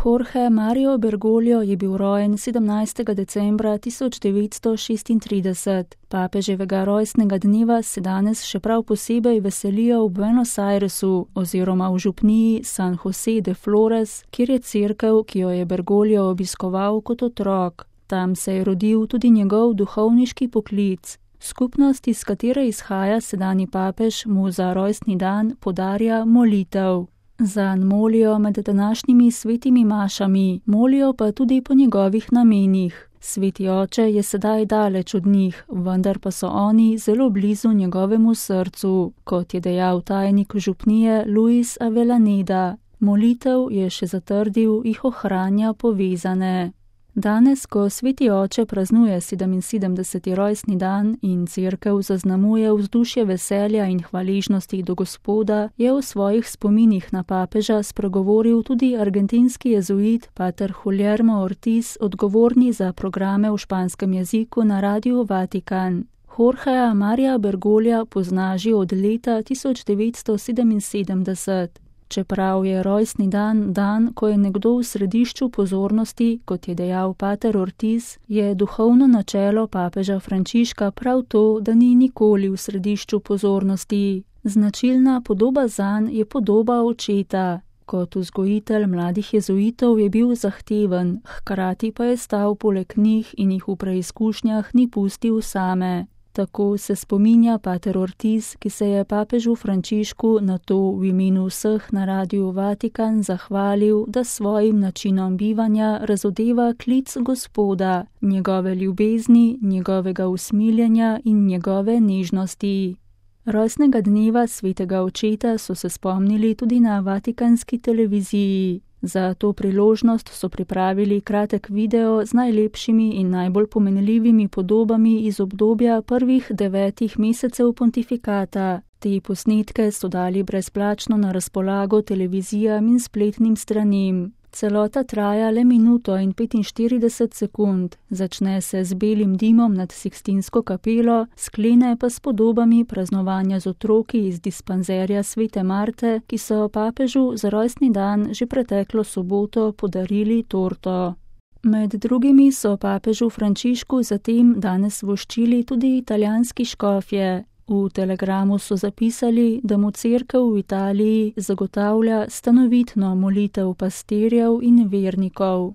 Jorge Mario Bergoglio je bil rojen 17. decembra 1936. Papeževega rojstnega dneva se danes še prav posebej veselijo v Buenos Airesu oziroma v župniji San José de Flores, kjer je cerkev, ki jo je Bergoglio obiskoval kot otrok. Tam se je rodil tudi njegov duhovniški poklic. Skupnost, iz katere izhaja sedanji papež, mu za rojstni dan podarja molitev. Zanj molijo med današnjimi svetimi mašami, molijo pa tudi po njegovih namenih. Sveti oče je sedaj daleč od njih, vendar pa so oni zelo blizu njegovemu srcu, kot je dejal tajnik župnije Luis Avellaneda. Molitev, je še zatrdil, jih ohranja povezane. Danes, ko sveti oče praznuje 77. rojstni dan in cerkev zaznamuje vzdušje veselja in hvaležnosti do Gospoda, je v svojih spominih na papeža spregovoril tudi argentinski jezuit pater Guillermo Ortiz, odgovorni za programe v španskem jeziku na Radiu Vatikan. Jorgea Maria Bergoglja pozna že od leta 1977. Čeprav je rojstni dan dan, ko je nekdo v središču pozornosti, kot je dejal pater Ortiz, je duhovno načelo papeža Frančiška prav to, da ni nikoli v središču pozornosti. Značilna podoba zanj je podoba očeta. Kot vzgojitelj mladih jezuitov je bil zahteven, hkrati pa je stal poleg njih in jih v preizkušnjah ni pustil same. Tako se spominja pater Ortiz, ki se je papežu Frančišku na to v imenu vseh na Radiu Vatikan zahvalil, da svojim načinom bivanja razodeva klic Gospoda, njegove ljubezni, njegovega usmiljenja in njegove nežnosti. Rojstnega dneva svetega očeta so se spomnili tudi na vatikanski televiziji. Za to priložnost so pripravili kratek video z najlepšimi in najbolj pomenljivimi podobami iz obdobja prvih 9 mesecev pontifikata. Te posnetke so dali brezplačno na razpolago televizijam in spletnim stranim. Celota traja le minuto in 45 sekund, začne se z belim dimom nad Sikstinsko kapelo, sklene pa s podobami praznovanja z otroki iz dispanzerja svete Marte, ki so papežu za rojstni dan že preteklo soboto podarili torto. Med drugimi so papežu Frančišku zatem danes voščili tudi italijanski škofje. V telegramu so zapisali, da mu cerkev v Italiji zagotavlja stanovitno molitev pastirjev in vernikov.